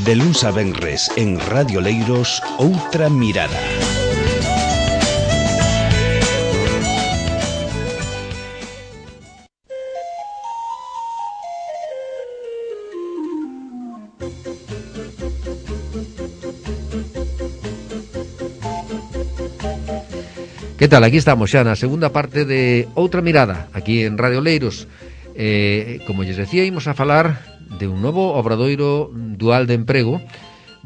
De luns a venres en Radio Leiros, Outra Mirada. Que tal? Aquí estamos xa na segunda parte de Outra Mirada, aquí en Radio Leiros. Como lles decía, imos a falar de un novo obradoiro dual de emprego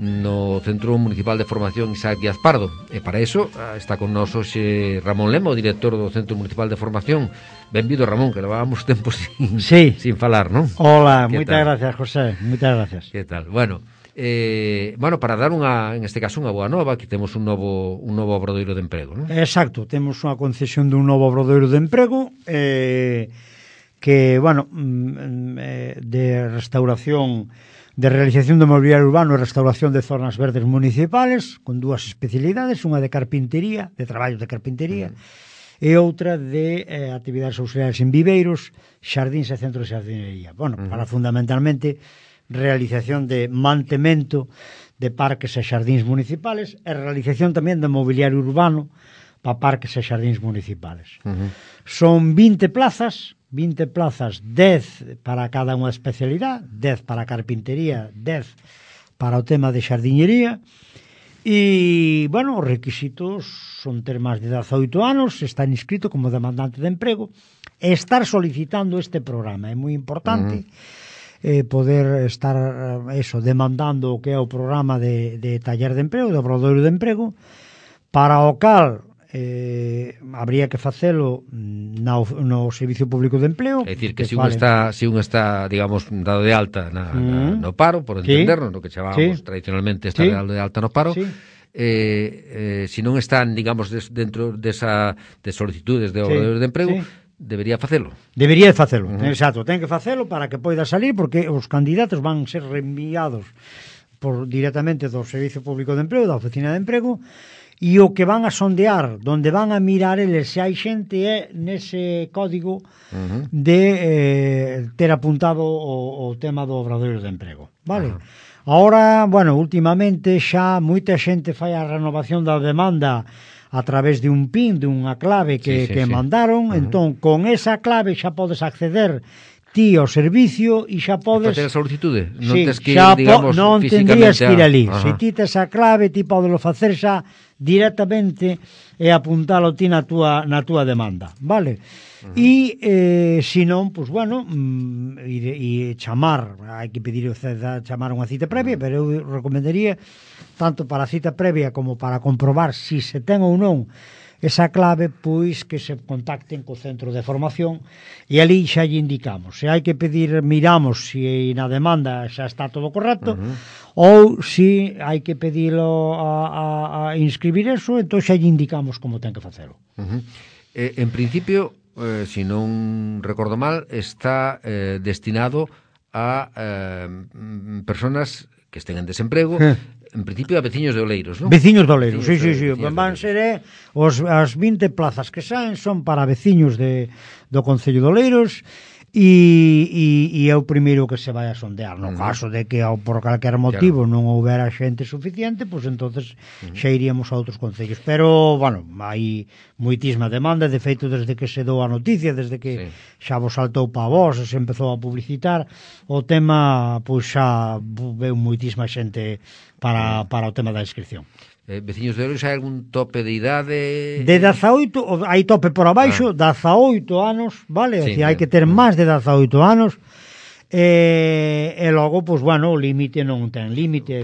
no Centro Municipal de Formación Isaac Díaz Pardo. E para iso está con nós hoxe Ramón Lemo, director do Centro Municipal de Formación. Benvido, Ramón, que levábamos tempo sin falar, non? Hola, moitas gracias, José, moitas gracias. Que tal? Bueno, para dar en este caso unha boa nova, que temos un novo obradoiro de emprego, non? Exacto, temos unha concesión dun novo obradoiro de emprego que, de restauración, de realización de mobiliario urbano e restauración de zonas verdes municipales, con dúas especialidades, unha de carpintería, de traballos de carpintería, e outra de actividades auxiliares en viveiros, xardíns e centros de xardinería. Para fundamentalmente realización de mantemento de parques e xardíns municipales e realización tamén de mobiliario urbano para parques e xardíns municipales. Son 20 plazas, 10 para cada unha especialidade, 10 para carpintería, 10 para o tema de xardiñería. E, os requisitos son ter máis de 18 anos, estar inscrito como demandante de emprego e estar solicitando este programa. É moi importante poder estar demandando o que é o programa de taller de emprego, de obradoiro de emprego, para o cal habría que facelo no Servicio Público de Empleo. É dicir, que se un está, digamos, dado de alta no paro, por entendernos, no que chamamos tradicionalmente estar dado de alta no paro, se non están, digamos, dentro de solicitudes de obradoiro de emprego, debería facelo. Debería facelo, exacto, ten que facelo para que poida salir, porque os candidatos van ser reenviados directamente do Servicio Público de Emprego, da Oficina de Emprego, e o que van a sondear, donde van a mirar eles se hai xente é nese código de ter apuntado o tema do obradoiro de emprego, vale? Ahora, últimamente xa moita xente fai a renovación da demanda a través de un PIN, de unha clave que mandaron, entón, con esa clave xa podes acceder ti ao servicio e xa podes... Facer a solicitude? Non tens que ir, digamos, non físicamente... tendrías que ir ali. Se ti tes a clave, ti podelo facer xa directamente e apuntalo ti na túa demanda, vale? E, se non, e chamar, hai que pedir chamar unha cita previa, pero eu recomendaría tanto para a cita previa como para comprobar se ten ou non esa clave, pois que se contacten co centro de formación e ali xa lle indicamos. Se hai que pedir, miramos se na demanda xa está todo correcto, ou se hai que pedilo a inscribir eso, entón xa lle indicamos como ten que facelo. En principio, se non recordo mal, está destinado a personas que estén en desemprego, en principio a veciños de Oleiros, non? Veciños de Oleiros, sí. Van ser as 20 plazas que saen son para veciños do Concello de Oleiros e é o primeiro que se vai a sondear. No caso de que por calquer motivo non houbera xente suficiente, pois entonces xa iríamos a outros concellos. Pero, hai moitísima demanda, de feito, desde que se dou a noticia, desde que xa vos saltou pa vos, se empezou a publicitar, o tema, pois xa veu moitísima xente para o tema da inscripción. Veciños de Oleiros, hai algún tope de idade? De 18, hai tope por abaixo, 18 anos, vale? Hai que ter máis de 18 anos, e logo, o límite non ten límite,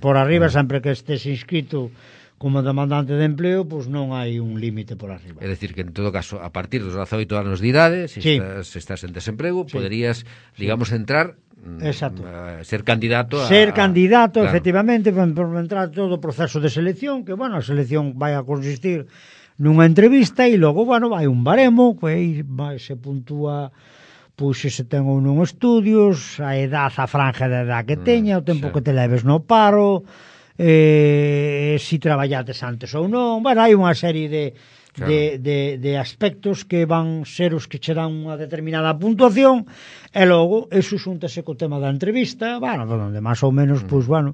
por arriba, sempre que estés inscrito como demandante de empleo, non hai un límite por arriba. É dicir, que en todo caso, a partir dos 18 anos de idade, se estás en desemprego, poderías, digamos, entrar... Exacto. Ser candidato claro. Efectivamente, por entrar todo o proceso de selección, que, a selección vai a consistir nunha entrevista e logo, vai un baremo, que se puntúa pois se ten ou non estudios, a edad, a franja de edad que teña, o tempo que te leves no paro, se traballates antes ou non, hai unha serie de Claro. de aspectos que van ser os que che dan unha determinada puntuación, e logo eso xúntase co tema da entrevista, bueno, donde máis ou menos, pois, bueno,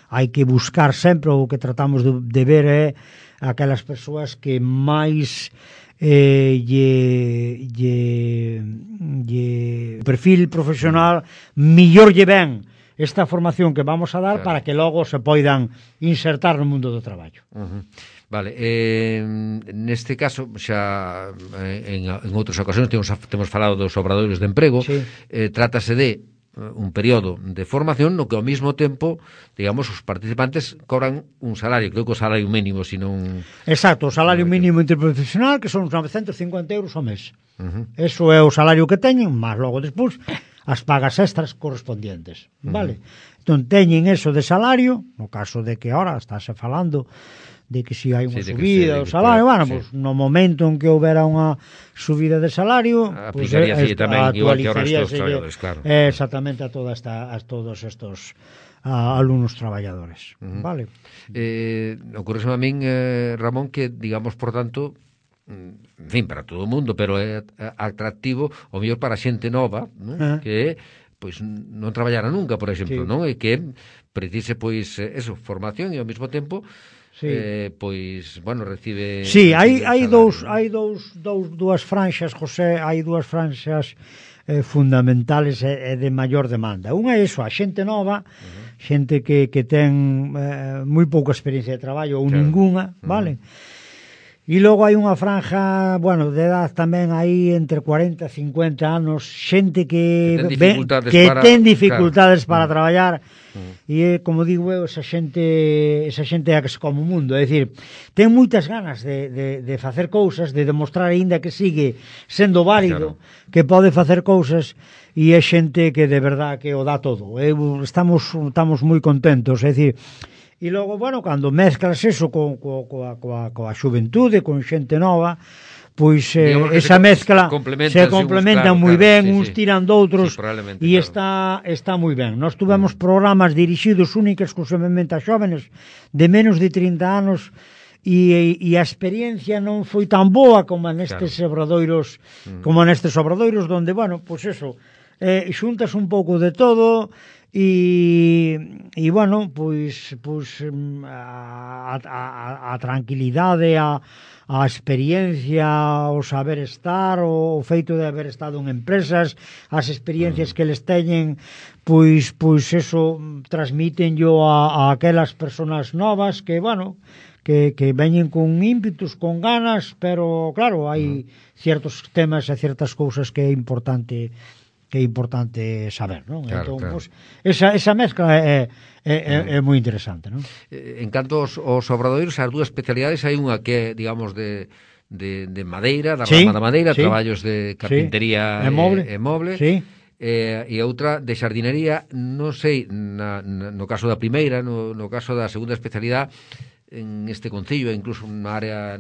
hai que buscar sempre, o que tratamos de ver é aquelas persoas que máis lle perfil profesional millor lle ben esta formación que vamos a dar, claro, para que logo se poidan insertar no mundo do traballo. Vale, neste caso xa en outras ocasións temos falado dos obradoiros de emprego. Sí. Trátase de un período de formación no que ao mesmo tempo, digamos, os participantes cobran un salario, creo que o salario mínimo, sino Exacto, o salario mínimo interprofesional, que son uns 950 euros ao mes. Eso é o salario que teñen, máis logo despois as pagas extras correspondientes, vale? Entón teñen eso de salario, no caso de que ahora estáse falando de que si hai unha subida do salario, bueno, pues, no momento en que houbera unha subida de salario, aplicaríase pues, tamén igual que ahora estos traballadores, claro. Exactamente a todos estos alumnos traballadores, vale? Ocurre a min, Ramón, que, digamos, por tanto, en fin, para todo o mundo, pero é atractivo o mellor para xente nova, non? Que pois non traballara nunca, por exemplo, sí, non? E que precise, pois, eso, formación e ao mesmo tempo sí, pois, bueno, recibe... Sí, hai dúas franxas, José, hai dúas franxas fundamentales e de maior demanda. Unha é iso, a xente nova, xente que ten moi pouca experiencia de traballo ou ningunha, vale? E logo hai unha franja, bueno, de edad tamén aí entre 40 e 50 anos, xente que ten dificultades para traballar, e como digo eu, esa xente é a que se come o mundo, é dicir, ten moitas ganas de facer cousas, de demostrar aínda que sigue sendo válido, que pode facer cousas, e é xente que de verdad que o dá todo. Estamos moi contentos, é dicir, e logo, bueno, cando mezclas eso coa xuventude, con xente nova, pois esa mezcla se complementan moi ben, uns tiran doutros, e está moi ben. Nós tuvemos programas dirixidos única exclusivamente a xóvenes de menos de 30 anos, e a experiencia non foi tan boa como nestes obradoiros, donde, bueno, pois eso, xuntas un pouco de todo, e bueno, pois a tranquilidade, a experiencia, o saber estar, o feito de haber estado en empresas, as experiencias que eles teñen, pois eso transmítenllo a aquelas persoas novas que, bueno, que veñen con ímpetus, con ganas, pero claro, hai ciertos temas e ciertas cousas que é importante saber, non? Claro, entón, pues, esa mezcla é moi interesante, non? En canto aos obradoiros, as dúas especialidades, hai unha que é, digamos, de madeira, da rama da madeira, traballos de carpintería e moble, e outra de xardinería. Non sei, no caso da primeira, no caso da segunda especialidade, en este concello, incluso na área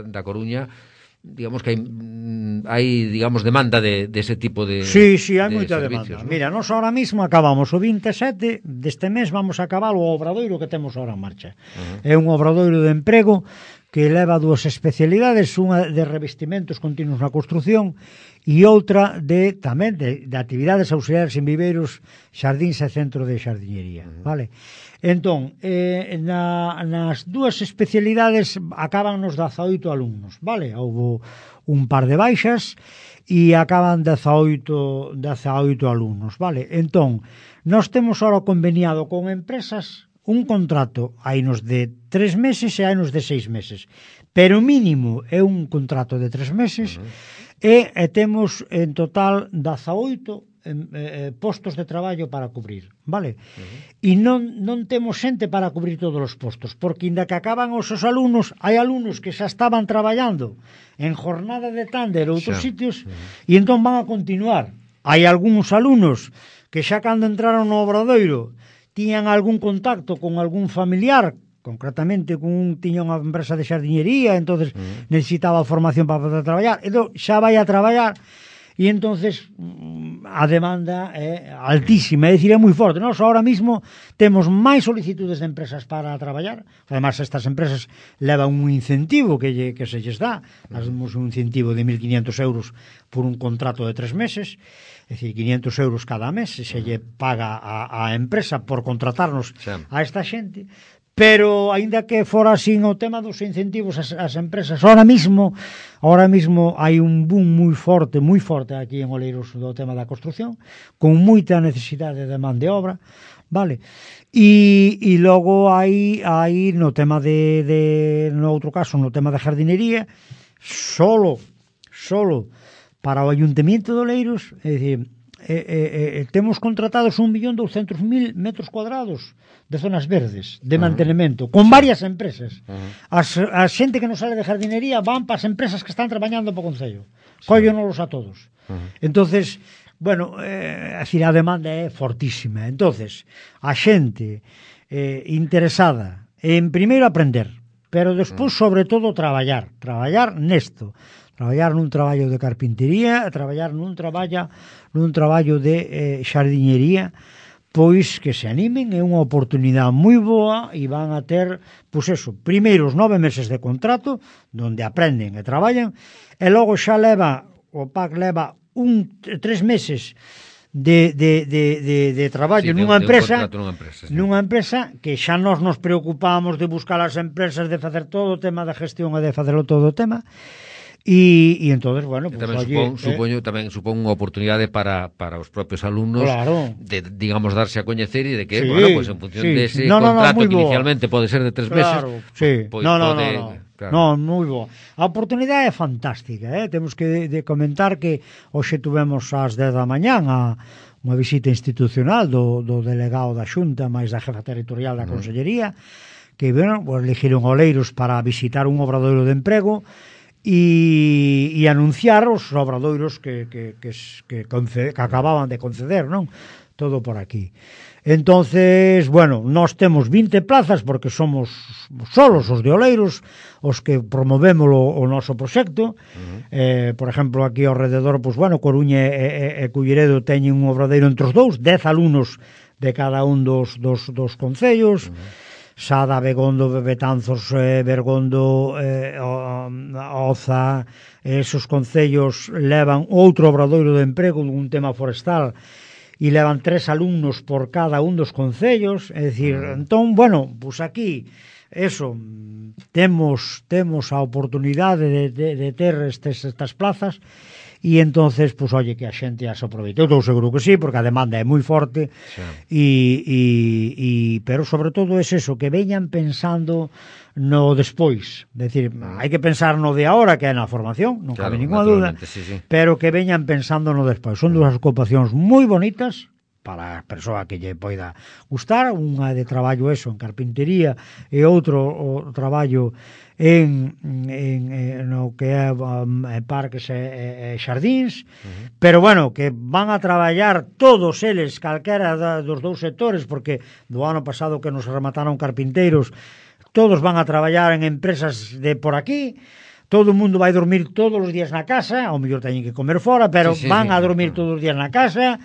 da Coruña, digamos que hai digamos demanda de ese tipo de Sí, hai moita servicios, demanda, ¿no? Mira, nós ahora mismo acabamos o 27 deste mes, vamos a acabar o obradoiro que temos ahora en marcha. É un obradoiro de emprego que leva dúas especialidades, unha de revestimentos continuos na construción e outra tamén de actividades auxiliares en viveiros, xardíns e centro de xardiñería, vale? Entón, nas dúas especialidades acaban nos 18 alumnos, vale? Houve un par de baixas e acaban 18 alumnos, vale? Entón, nós temos ahora conveniado con empresas un contrato, hainos de 3 meses e hainos de 6 meses, pero mínimo é un contrato de 3 meses, e temos en total 18 postos de traballo para cubrir, vale? E non temos xente para cubrir todos os postos, porque inda que acaban os alumnos, hai alumnos que xa estaban traballando en jornada de tánder ou outros sitios, e entón van a continuar. Hai algúns alumnos que xa cando entraron no obradoiro tiñan algún contacto con algún familiar, concretamente tiña unha empresa de xardiñería, entonces necesitaba formación para poder traballar, entón xa vai a traballar. e entonces a demanda é altísima, é dicir, é moi forte. Nós ahora mismo temos máis solicitudes de empresas para traballar, además estas empresas levan un incentivo que se lles dá, damos un incentivo de 1.500 euros por un contrato de 3 meses, é dicir, 500 euros cada mes se lle paga a empresa por contratarnos a esta xente. Pero, aínda que fora así o tema dos incentivos ás empresas, ahora mismo hai un boom moi forte aquí en Oleiros do tema da construción, con moita necesidade de man de obra, vale? E logo hai no tema no outro caso, no tema da jardinería, solo para o Ayuntamiento de Oleiros, é dicir, temos contratados 1.200.000 metros cuadrados de zonas verdes, de mantenimento, con varias empresas. A xente que non sale de jardinería van para as empresas que están traballando para o Concello. Cóllonos a todos. Entonces, bueno, a demanda é fortísima. Entonces, a xente interesada en primeiro aprender, pero despois, sobre todo, traballar nesto. Traballar nun traballo de carpintería, traballar nun traballo de xardiñería, pois que se animen, é unha oportunidade moi boa e van a ter, pois eso, primeiros 9 meses de contrato, donde aprenden e traballan, e logo xa o PAC leva 3 meses de traballo nunha empresa, nunha empresa que xa nos preocupamos de buscar as empresas, de facer todo o tema da gestión e de facerlo todo o tema. E entonces, bueno, pues, tamén supón unha oportunidade para os propios alumnos, claro, de, digamos, darse a coñecer e de que, bueno, pues en función de ese contrato que inicialmente pode ser de 3 meses, pues, claro. Moi boa. A oportunidade é fantástica, temos que de comentar que hoxe tuvemos ás 10 da mañán unha visita institucional do delegado da Xunta máis da jefa territorial da Consellería, que, bueno, pues, elegiron Oleiros para visitar un obradoiro de emprego e anunciar os obradoiros que acababan de conceder, non? Todo por aquí. Entonces, bueno, nós temos 20 plazas porque somos solos os de Oleiros os que promovemos o noso proxecto. Por exemplo, aquí ao rededor, pues, bueno, Coruña e Culleredo teñen un obradeiro entre os dous, 10 alumnos de cada un dos concellos. Sada, Begondo, Betanzos, Bergondo, Oza, esos concellos levan outro obradoiro de emprego dun tema forestal e levan 3 alumnos por cada un dos concellos, é dicir, entón, bueno, pues aquí, eso, temos a oportunidade de ter estas plazas. E entonces, pues, oye, que a xente as aproveite. Eu estou seguro que sí, porque a demanda é moi forte, pero sobre todo é eso, que veñan pensando no despois. Decir, hai que pensar no de agora, que é na formación, non cabe ninguna dúda, pero que veñan pensando no despois. Son dúas ocupacións moi bonitas para a persoa que lle poida gustar, unha de traballo eso en carpintería e outro o traballo en no que é parques e xardíns, pero bueno, que van a traballar todos eles, calquera dos dous sectores, porque do ano pasado que nos remataron carpinteiros, todos van a traballar en empresas de por aquí. Todo o mundo vai dormir todos os días na casa, ao mellor teñen que comer fora, pero van a dormir todos os días na casa.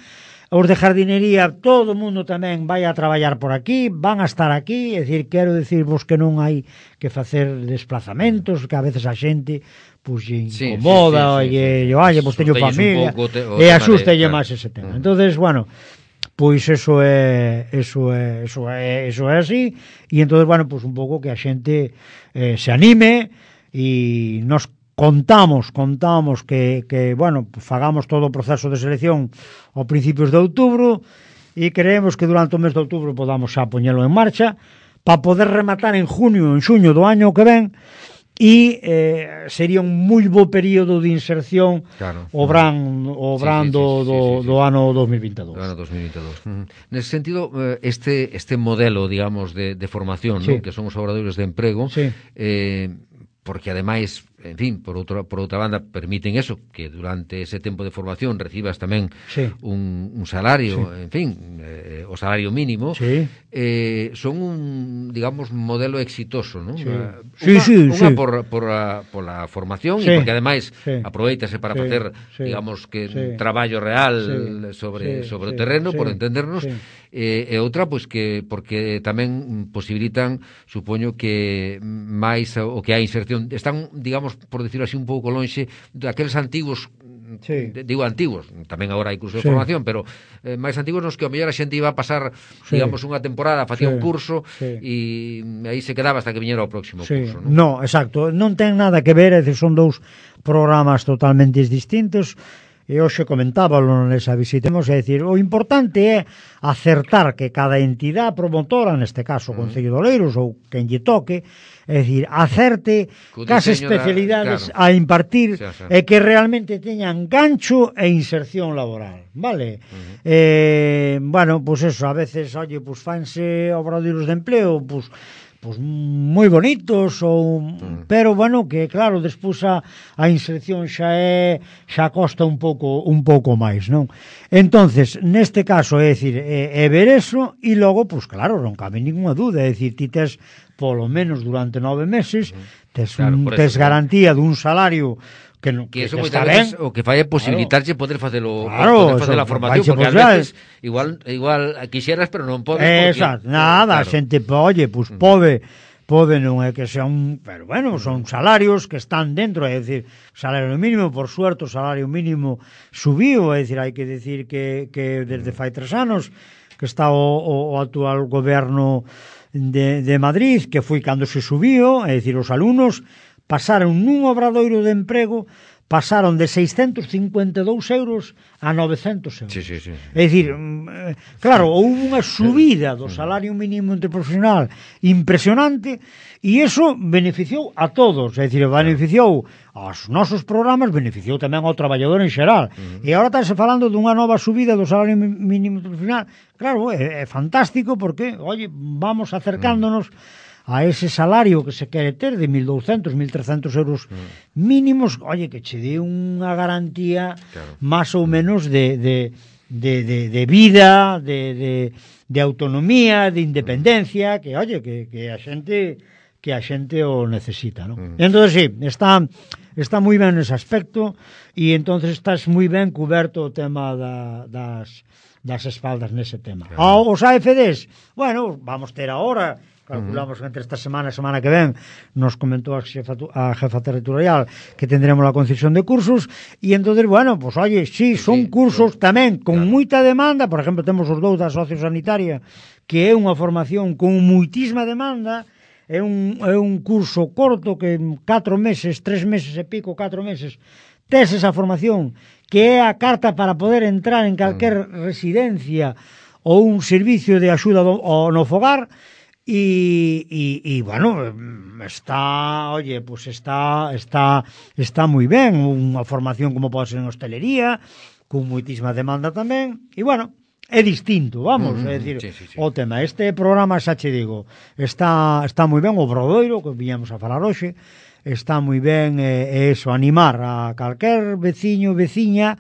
Os de jardinería, todo o mundo tamén vai a traballar por aquí, van a estar aquí, é dicir, quero dicirvos que non hai que facer desplazamentos, que a veces a xente pues incomoda, pues teño familia, e asústelle máis ese tema. Entonces, bueno, pois eso é así, e entonces, bueno, pues un pouco que a xente se anime, e nos contamos que bueno, fagamos todo o proceso de selección ao principios de outubro e creemos que durante o mes de outubro podamos xa poñelo en marcha para poder rematar en junio, en xuño do año que ven e sería un moi bo período de inserción o verán do ano 2022. Do ano 2022. Nese sentido, este modelo, digamos, de formación, ¿no? Que son os obradoiros de emprego, porque ademais en fin, por outra banda, permiten eso, que durante ese tempo de formación recibas tamén un salario, en fin, o salario mínimo, son un, digamos, modelo exitoso, non? Unha por a formación e porque ademais aproveitase para facer, digamos, que un traballo real sobre o terreno, por entendernos, e outra, pois, que porque tamén posibilitan, supoño que máis o que a inserción, están, digamos, por decirlo así, un pouco lonxe daqueles antigos, digo antigos, tamén agora hai curso de formación, pero máis antigos nos que ao mellor a xente iba a pasar, digamos, unha temporada, facía un curso e aí se quedaba hasta que viñera o próximo curso, non? No, exacto, non ten nada que ver, é dicir, son dous programas totalmente distintos. E hoxe comentábalo nesa visita, é dicir, o importante é acertar que cada entidade promotora, neste caso o Concello de Oleiros ou quen lle toque, é dicir, acerte cas especialidades a impartir e que realmente teñan gancho e inserción laboral, vale? Bueno, pois eso, a veces, oye, pois fanse obradoiros de empleo, pois moi bonitos pero bueno, que claro, despois a inserción xa costa un pouco máis, non? Entonces, neste caso, é dicir, é ver eso e logo, pois claro, non cabe ninguna dúda, é dicir, ti tes polo menos durante 9 meses tes garantía dun salario que eso moitas veces o que fai é posibilitarche poder facelo, poder facer a formación, porque a veces igual quixeras, pero non podes. Exacto, nada, a xente, oye, pois pode non é que sea pero bueno, son salarios que están dentro, é dicir, salario mínimo, por suerte, o salario mínimo subiu, é dicir, hai que dicir que desde fai 3 anos que está o actual goberno de Madrid, que foi cando se subiu, é dicir, os alumnos pasaron nun obradoiro de emprego, pasaron de 652 euros a 900 euros. É dicir, claro, houve unha subida do salario mínimo interprofesional impresionante e iso beneficiou a todos, é dicir, beneficiou aos nosos programas, beneficiou tamén ao traballador en xeral. E agora estáse falando dunha nova subida do salario mínimo interprofesional. Claro, é fantástico porque, oye, vamos acercándonos a ese salario que se quere ter de 1.200, 1.300 euros mínimos, oye, que che dé unha garantía máis ou menos de vida, de autonomía, de independencia, que, oye, que a xente o necesita, non? Entonces, sí, está moi ben nese aspecto e entonces estás moi ben cuberto o tema das espaldas nese tema. Os AFDs, bueno, vamos ter ahora, calculamos que entre esta semana e semana que ven, nos comentou a jefa territorial que tendremos a concesión de cursos e entonces, bueno, pues oye, sí, son cursos tamén con moita demanda. Por exemplo, temos os dous da sociosanitaria, que é unha formación con moitísima demanda. É un curso corto que en 4 meses, 3 meses e pico, 4 meses tes esa formación, que é a carta para poder entrar en calquer residencia ou un servicio de axuda no fogar. E bueno, está, oye, pues está moi ben, unha formación como pode ser en hostelería, con moitísima demanda tamén, e bueno, é distinto, vamos, é dicir, o tema, este programa, xa che digo, está moi ben, o Obradoiro, que viñamos a falar hoxe, está moi ben, eso, animar a calquer veciño, veciña,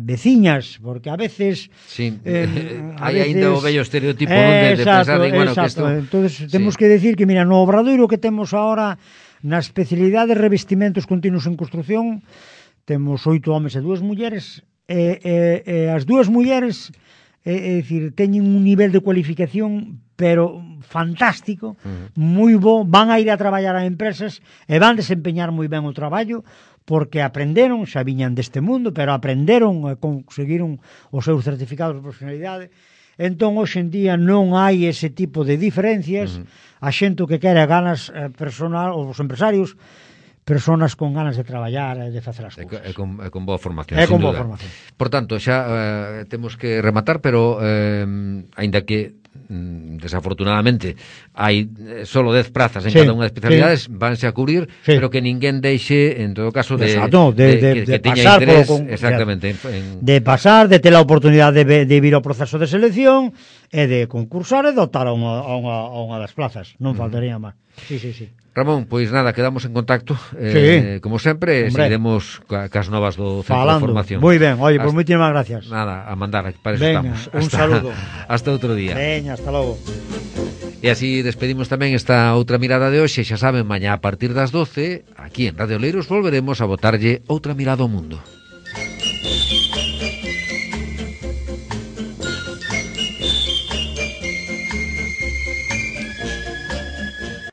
veciñas, porque a veces hai aínda o vello estereotipo de pensar en, bueno, que isto... Entonces, temos que decir que, mira, no Obradoiro que temos ahora na especialidade de revestimentos continuos en construción, temos 8 homes e 2 mulleres, e as 2 mulleres, é dicir, teñen un nivel de cualificación pero fantástico, moi bo, van a ir a traballar a empresas e van desempeñar moi ben o traballo, porque aprenderon, xa viñan deste mundo, pero aprenderon e conseguiron os seus certificados de profesionalidade. Entón, hoxe en día non hai ese tipo de diferencias. A xente que quere ganas personal, os empresarios, personas con ganas de traballar e de facer as cousas. E con boa formación, sin duda. Por tanto, xa temos que rematar, pero aínda que desafortunadamente hai solo 10 prazas en cada unha das especialidades, vanse a cubrir, pero que ninguén deixe, en todo caso, que teña interés, exactamente, de pasar, de ter a oportunidade de vir ao proceso de selección e de concursar e de optar a unha das plazas. Non faltaría máis. Sí. Ramón, pois nada, quedamos en contacto, como sempre, seguiremos cas novas do Centro de Formación. Moi ben, oye, pois moitísimas gracias. Nada, a mandar, para eso Venga, estamos. Un saludo. Hasta outro día. Veña, hasta logo. E así despedimos tamén esta outra mirada de hoxe. Xa saben, mañá a partir das 12, aquí en Radio Leiros volveremos a botarlle outra mirada ao mundo.